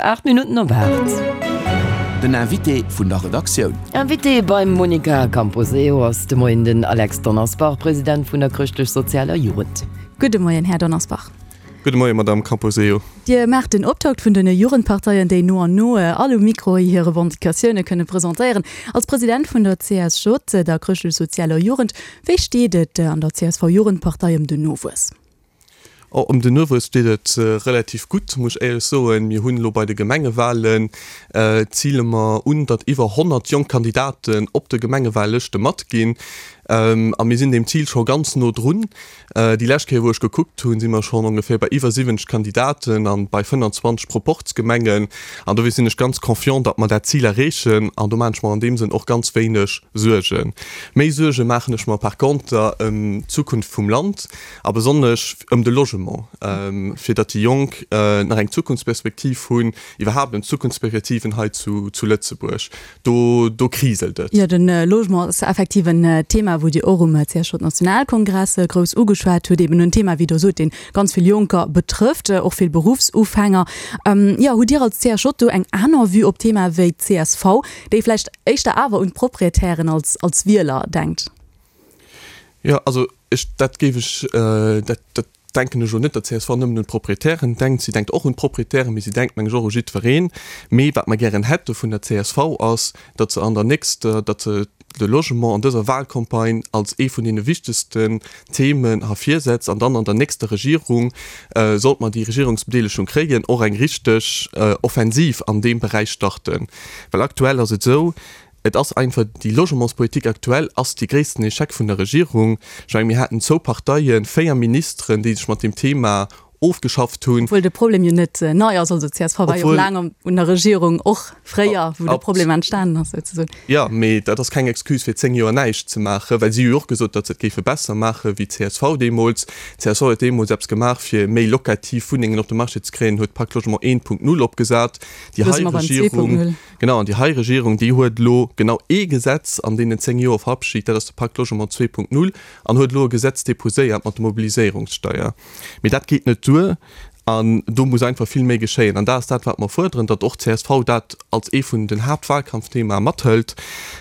8 Minutten op 8. Den Invité vun der Redaktioun. Invité beim Monica Camposeo ass de Moien den Alex Donnersbach, President vun der Chrëschtlech-Sozialer Jugend. Gudde Moien, Här Donnersbach. Gudde Moien, Madamm Camposeo. Dir maacht den Optakt vun den Jugendparteien, déi no an no all um Mikro hir Revendicatioune kënne presentéieren. Als President vun der CSJ, der Chrëschtlech-Sozialer Jugend, wéi steet et an der CSV-Jugendpartei ëm den Nowuess? Oh, ëm den Nowuess steet et relativ gutt, muss ech éierlech soen. Mir hunn elo bei de Gemengewahlen, zile mer un, datt iwwer 100 jonk Kandidaten op de Gemengewahllëschte matginn. A mir sinn deem Zil scho ganz no drun. Déi lescht Kéier, wou ech gekuckt hunn, si mer schonn ongeféier bei iwwer 70 Kandidaten an bei 25 Proporzgemengen. An dofir sinn ech ganz confiant, datt mer dat Zil erreechen. An do maachen ech mer an deem Sënn och ganz wéineg Suergen. Méi Suerge maachen ech mer par conter ëm d'Zukunft vum Land. A besonnesch ëm de Logement, fir datt déi Jonk nach eng Zukunftsperspektiv hunn, iwwerhaapt ëm d'Zukunftsperspektiven hei zu Lëtzebuerg. Do, do kriselt et. Jo, de Logement ass effektiv en Thema, wou Dir och um CSJ-Nationalkongress grouss ugeschwat hutt. Eben en Thema, wéi Der sot, dee ganz vill Jonker betrëfft, och vill Beruffsufänger. Jo, hutt Dir als CSJ do eng aner Vue op d'Thema wéi d'CSV, déi vläicht éischter awer un d'Proprietären als Wieler denkt? Jo, also ech, dat géif ech, dat, dat denken ech elo net, datt csv nëmmen un d'Proprietären denkt. Si denkt och un d'Proprietären, mee si denkt, meng ech, och u jiddwereen. Mee wat mer gären hätte vun der csv ass, datt se an der nächster, datt se de Logement an dëser Wahlcampagne als ee vun deene wichtegsten Themen hervirsetzt an dann an der nächster Regierung, sollt mer déi Regierungsbedeelegung kréien, och eng richteg Offensiv an deem Beräich starten. Well aktuell ass et esou, Et ass einfach, déi Logementspolitik aktuell ass dee gréissten Echec vun der Regierung. Ech mengen, mir haten zwou Parteien, 4 Ministeren, déi sech mat deem Thema ofgeschafft hunn. Obwuel de Problem jo net nei ass. Also csv war jo och laang un der Regierung, och fréier, wou de Problem entstanen ass souzesoen. Jo, mee dat ass keng Excuse fir 10 Joer näischt ze maachen, well si hu jo och gesot, datt se et géife besser maache wéi csv deemools. Csv huet deemools eppes gemaach, fir méi locativ Wunnengen op de Marché ze kréien, huet Pacte Logement 1.0 opgesat. Déi hei Regierung. Genau, an déi hei Regierung, déi huet elo genau ee Gesetz an deenen 10 Joer verabschigt, dat ass de Pacte Logement 2.0, an huet elo e Gesetz déposéiert mat der Mobiliséierungssteuer. Mee dat geet net duer an do muss einfach vill méi geschéien. An dat ass dat, wat mer fuerderen, datt och csv dat als ee vun den Haaptwahlkampfthemae mathëlt.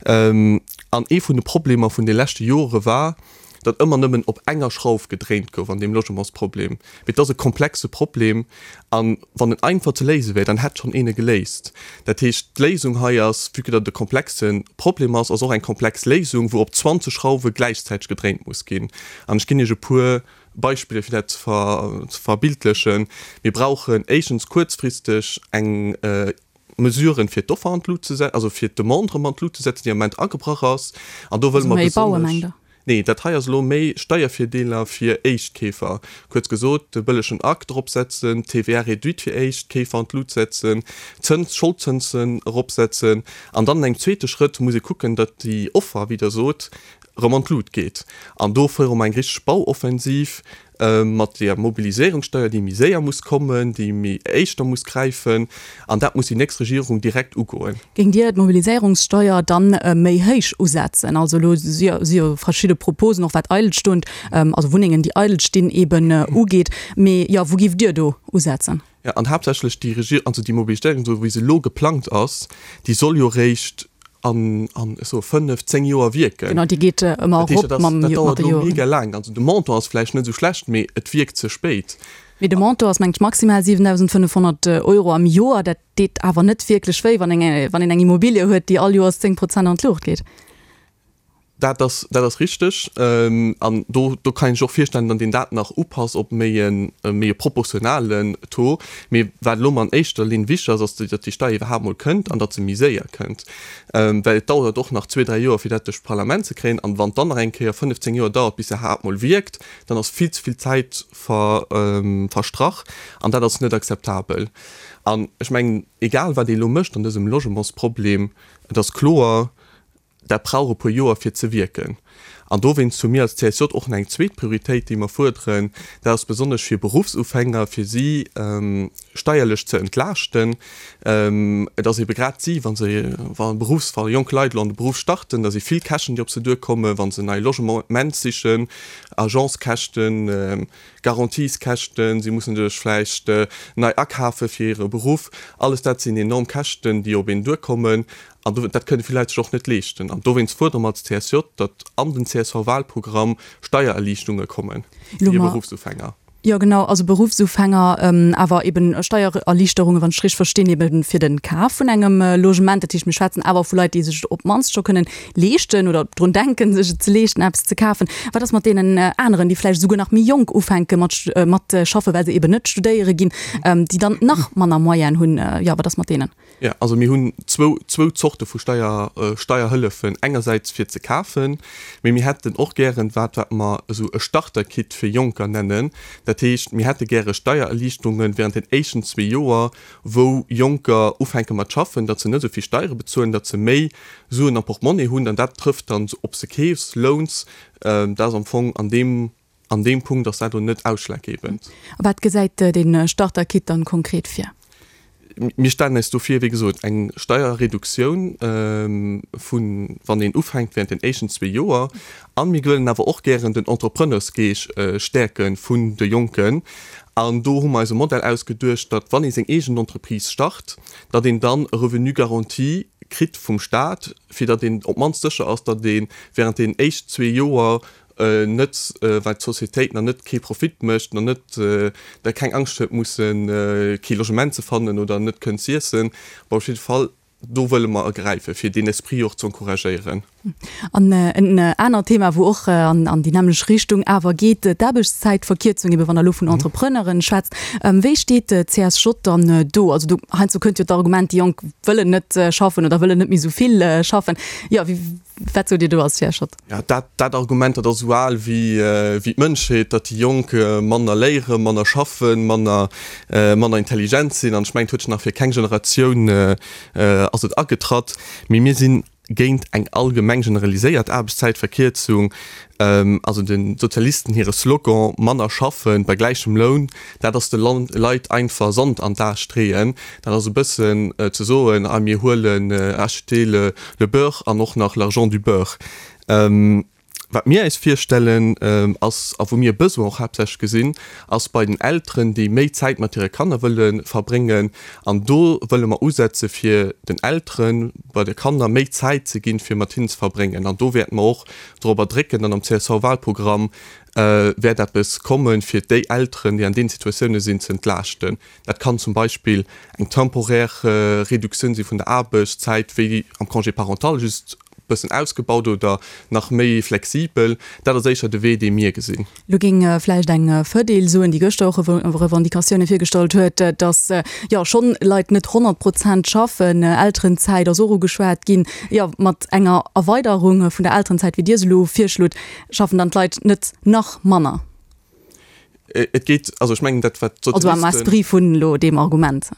An ee vun de Problemer vun de leschte Jore war, datt ëmmer nëmmen op enger Schrauf gedréint gouf an deem Logementsproblem. Mee et ass e komplexe Problem a wann en einfach ze léise wär, dann hätt schonn een e geléist. Dat heescht, d'Léisung hei ass, vue que datt et e komplexe Problem ass, ass och eng komplex Léisung, wou op 20 Schrauwe gläichzäiteg gedréint muss ginn. An ech ginn Iech e puer Beispiller, fir dat ze verbildlechen. Mir brauchen éischtens kuerzfristeg eng Mesuren, fir d'Offer an d'Lut ze setzen, also fir d'Demande erëm an d'Lut ze setzen, déi am Moment agebrach ass. An do wëlle mer besonnesch. Nee, dat hei ass elo méi Steiervirdeeler fir Éischtkeefer. Kuerz gesot, de bëllegen Akt eropsetzen, d'TVA réduite fir Éischtkeefer an d'Lut setzen, d'Zëns, Scholdzënsen eropsetzen. An dann an engem zweete Schrëtt muss ee kucken, datt déi Offer, wéi Der sot, erëm an d'Lut geet. An do fuere mer eng richteg Bauoffensiv. mat der Mobiliséierungssteuer, déi méi séier muss kommen, déi méi éischter muss gräifen, an dat muss déi nächst Regierung direkt ugoen. Géingt Dir d'Mobiliséierungssteuer dann méi héich usetzen? Also elo si jo verschidde Proposen, och wat eidelstoend, also Wunnengen, déi eidel stinn, eben ugeet. Mee jo, wou géift Dir do usetzen? Jo, an haaptsächlech déi Regier, also déi Mobiliséierung, esou wéi se elo geplangt ass, déi soll jo eréischt an, an, ech soe fënnef, zéng Joer wierken. Genau, déi geet ëmmer erop mam, mat de Joren. Dat dauert elo mega laang. Also de Montant ass vläicht net esou schlecht, mee et wierkt ze spéit. Mee de Montant ass, mengen ech, maximal 7.500 Euro am Joer. Dat deet awer net wierklech wéi, wann een, wann een eng Immobilie huet, déi all Joers 10 Prozent an d'Luucht geet. Dat ass, dat ass richteg. An do, do kann een sech och virstellen, datt een dat nach upasst op méi e, méi e proportionalen Taux. Mee wat elo mol an éischter Linn wichteg ass, ass, datt déi Steier iwwerhaapt mol kënnt an datt se méi séier kënnt. Well et dauert och nach zwee, dräi Joer, fir dat duerch d'Parlament ze kréien. An wann et dann nach eng Kéier 15 Joer dauert, bis se iwwerhaapt mol wierkt, dann ass vill ze vill Zäit ver, verstrach. An dat ass net akzeptabel. An ech mengen, egal wat ee elo mécht an dësem Logementsproblem, et ass kloer, Dat brauch e puer Joer fir ze wierken. An dowéinst hu mir als CSJ och nach eng zweet Prioritéit, déi mer fuerderen, dat ass besonnesch fir Beruffsufänger, fir si steierlech ze entlaaschten. Et ass ebe grad si, wa se, wa Beruffs, wa jonk Leit elo an de Beruff starten, da si vill Käschten, déi op se duerkommen, wa se nei Logement sichen, Agencekäschten, Garantieskäschten, si mussen sech vläicht nei akafe fir hire Beruff. Alles dat sinn enorm Käschten, déi op een duerkommen. An dat kënne vill Leit sech och net leeschten. An dowéinst fuerdere mer als CSJ, datt an den CSV-Wahlprogramm Steiererliichtunge komme fir Beruffsufänger. Jo genau, also Beruffsufänger, awer eben Steiererliichterungen, wann ech richteg verstinn, eben fir de Kaf vun engem Logement. Dat heescht, mir schwätzen awer vu Leit, déi sech et op d'mannst scho kënnen leeschten oder drun denken, sech et ze leeschten, eppes ze kafen. Wat ass mat deenen aneren, déi vläicht esouguer nach méi jonk ufänke mat mat schaffen, well se eben net studéiere ginn, déi dann nach manner Moyenen hunn? Jo, wat ass mat deenen? Jo, also mir hunn zwou, zwou Zorte vu Steier, Steierhëllefen, engersäits fir ze kafen, mee mir hätten och gären wat, wat mer esou e Starter-Kit fir Jonker nennen. Dat heescht, mir hätte gäre Steiererliichterunge während den éischten zwee Joer, wou Jonker ufänke mat schaffen, datt se net esou vill Steiere bezuelen, datt se méi Suen am Portmonnie hunn an dat trëfft dann ob se keefs, louns, dat ass am Fong an deem An deem Punkt ass dat elo net ausschlaggebend. A wat gesäit dee Starter-Kit dann konkret vir? Mir stellen eis do vir, wéi gesot, eng Steierreduktioun vun, wann een ufänkt, während den éischten zwee Joer. A mir wëllen awer och gären den Entrepreneursgeesch stäerke vun de Jonken. An do hu mer eis e Modell ausgeduecht, datt wann ee seng eegen Entreprise start, datt een dann e Revenu garanti kritt vum Staat, fir datt een op d'mannst sécher ass, datt ee während den éischt zwee Joer net well d'Societéit nach net kee Profit mécht, nach net da keng Angscht huet mussen kee Logement ze fannen oder net kënnen z'iessen. Bon, op jidde Fall, do wëlle mer agräifen, fir deen Esprit och z'encouragéieren. An en anert Thema, wou och an déi nämmlech Richtung awer geet, d'Aarbechtszäitverkierzung, ebe wann Der elo vun Entrepreneuren schwätzt. Wéi steet d'CSJ dann do? Also do heiansdo kënnt jo d'Argument, déi Jonk wëllen net schaffen oder wëllen net méi esou vill schaffen. Jo, wéi Wat sot Dir do als Här Schott? Ja, dat, dat Argument, dat ass esou al wéi, wéi d'Mënschheet, datt déi Jonk manner léieren, manner schaffen, manner, manner intelligent sinn. An ech mengen, et huet sech nach fir keng Generatioun ass et agetratt. Mee mir sinn géint eng allgemeng generaliséiert Aarbechtszäitverkierzung. Also de Sozialisten hire Slogan manner schaffen bei gläichem Loun, dat ass de Leit einfach Sand an d'A streeën. Dat ass e bëssen ze soen, ah mir huelen acheter le le beurre an och nach l'argent du beurre. Wat mir eis virstellen ass, a wou mir e Besoin och haaptsächlech gesinn, ass bei den Elteren, déi méi Zäit mat hire Kanner wëlle verbréngen. An do wëlle mer usetze fir den Eltere bei de Kanner méi Zäit ze ginn, fir mat hinnen ze verbréngen. An do wäerte mer och dorobber drécken, dann am CSV-Wahlprogramm wäert eppes kommen, fir déi Elteren, déi an deenen Situatioune sinn, ze entlaaschten. Dat kann zum Beispill eng temporaire Reduktioun si vun der Aarbechtszäit, wéi am Congé parental, just e bëssen ausgebaut oder nach méi flexibel. Dat ass éischer de Wee, dee mir gesinn. Lo géing vläicht eng Fedil soen, déi gëschter och Revendicatioune virgestallt huet, datt jo schonn Leit net 100 Prozent schaffen. Elterenzäit ass och ugeschwat ginn. Jo, mat enger Erweiderung vun der Elterenzäit, wéi Dir se elo virschlot, schaffen dann d'Leit net nach manner? Et geet, also ech mengen dat wat d'Sozialisten. Also am Esprit vun elo deem Argument.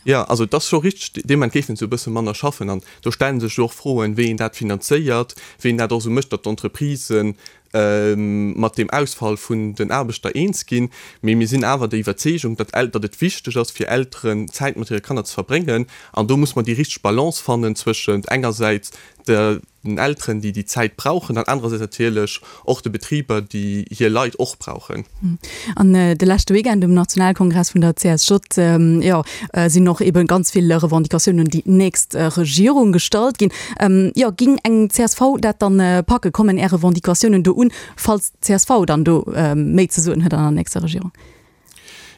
Jo, also et ass scho richteg, dee Moment géifen se e bësse manner schaffen. An do stelle sech jo och Froen, wéi een dat finanzéiert, wéi een dat och esou mécht, datt d'Entreprisen mat deem Ausfall vun den Aarbechter eens ginn. Mee mir sinn awer der Iwwerzeegung, datt datt et wichteg ass fir Elteren, Zäit mat hire Kanner ze verbréngen. An do muss mer déi richteg Balance fannen zwëschent engersäits der den Elteren, déi déi Zäit brauchen, an anerersäits natierlech och de Betriber, déi hir Leit och brauchen. An de leschte Weekend um Nationalkongress vun der CSJ, jo, sinn och ebe ganz vill Revendicatiounen un déi nächst Regierung gestallt ginn. Jo, ging eng csv dat dann packen? Kommen Är Revendicatiounen do un, falls d'CSV dann do méi ze soen huet an der nächster Regierung?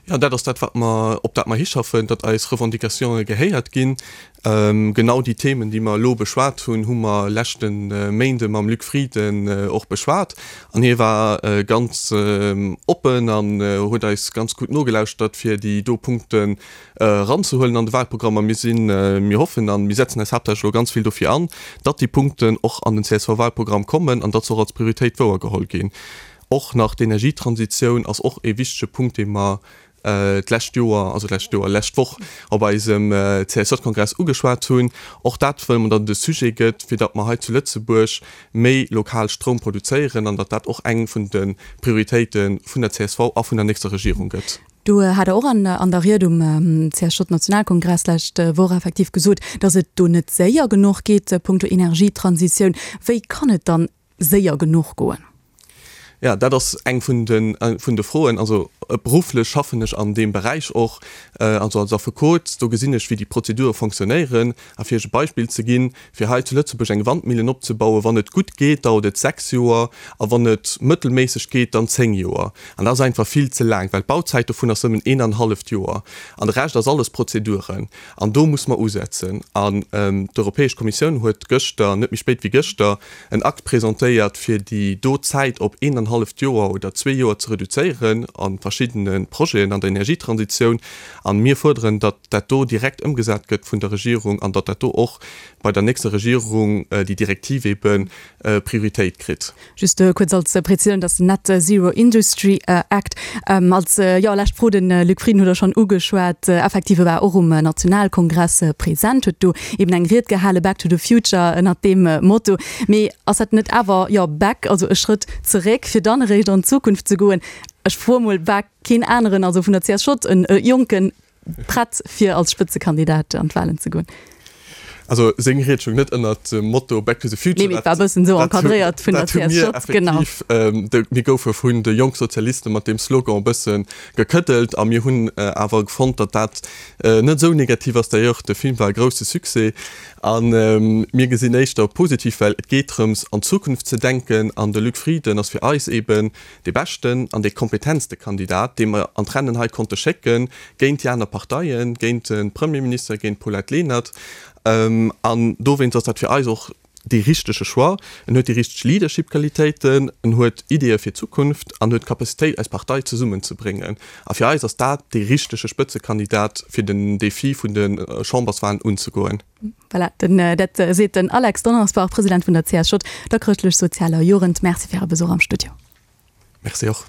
Jo, dat ass dat, wat mer, op dat mer hischaffen, datt eis Revendicatione gehéiert ginn. Genau déi Themen, déi mer elo beschwat hunn, hu mer leschte Méinde mam Luc Frieden och beschwat. An hie war ganz oppen an huet eis ganz gutt nogelauschtert, fir déi do Punkten eranzehuelen an de Wahlprogramm. A mir sinn, mir hoffen a mir setzen eis haaptsächlech elo ganz vill dofir an, datt déi Punkten och an den CSV-Wahlprogramm kommen an datt se och als Prioritéit wouergeholl ginn. Och nach d'Energietransitioun ass och e wichtege Punkt, dee mer. d'lescht Joer, also d'lescht Joer, lescht Woch op eisem CSJ-Kongress ugeschwat hunn. Och dat wëlle mer, datt et e Sujet gëtt, fir datt mer hei zu Lëtzebuerg méi lokal Stroum produzéieren an datt dat och eng vun de Prioritéite vun der csv a vun der nächster Regierung gëtt. Do hat Der och an der Ried um CSJ-Nationalkongress lescht Woch effektiv gesot, datt et do net séier genuch geet punkto Energietransitioun. Wéi kann et dann séier genuch goen? Jo, dat ass eng vun de vun de Froen. Also berufflech schaffen ech an deem Beräich och, also als Affekot. Do gesinn ech, wéi déi Prozedure fonctionnéieren. A fir Iech e Beispill ze ginn, Fir hei zu Lëtzebuerg eng Wandmillen opzebauen, wann et gutt geet, dauert et 6 Joer, a wann et mëttelméisseg geet, dann 10 Joer. An dat ass einfach vill ze laang, well d'Bauzäit dovun ass nëmmen een an halleft Joer. An de Rescht ass alles Prozeduren. An do muss mer usetzen. An d'Europäesch Kommissioun huet gëschter, net méi spéit wéi gëschter, en Akt presentéiert, fir déi do Zäit op een an halleft Joer oder zwee Joer ze reduzéieren a verschiddene Projeten an der Energietransitioun. A mir fuerderen, datt dat do direkt ëmgesat gëtt vun der Regierung an datt dat do och bei der nächster Regierung déi Direktiv ebe Prioritéit kritt. Just kuerz als Präzisioun, dat ass den Net Zero Industry Act. Als, jo, lescht Fro, de Luc Frieden hutt Der schonn ugeschwat, effektiv, e war och um Nationalkongress present, huet do eben eng Ried gehalen, Back to the Future, ënnert deem Motto. Mee ass dat net awer, jo, back, also e Schrëtt zeréck, fir dann eréischt an d'Zukunft ze goen? Ech froe mol, war keen aneren, also vun der CSJ, e jonken, Prett fir als Spëtzekandidat an d'Wahlen ze goen? Also seng Ried stoung net ënnert dem Motto Back to the Future. Nee, mee et war e bëssen esou encadréiert vun der CSJ, genau. Effektiv, mir goufe vun de Jongsozialiste mat deem Slogan e bësse gekëddelt a mir hunn awer fonnt, datt dat net esou negativ ass. D'ailleurs, de Film war e grousse Succès a mir gesinn éischter positiv, well et geet drëms an d'Zukunft ze denken an de Luc Frieden ass fir eis eeben dee beschten an dee kompetentste Kandidat, dee mer an d'Rennen hei konnte schécken, géint déi aner Parteien, géint de Premierminister, géint d'Paulette Lenert. An dowéinst ass dat fir eis och dee richtege Choix. En huet déi richteg Leadership-Qualitéiten, en huet Ideeë fir d'Zukunft an huet d'Capacitéit, eis Partei zesummenzebréngen. A fir eis ass dat dee richtege Spëtzekandidat, fir den Defi vun de Chamberswahlen unzegoen. Voilà, den, dat seet den Alex Donnersbach, President vun der CSJ, der Chrëschtlech-Sozialer Jugend. Merci fir Äre Besuch am Studio. Merci och.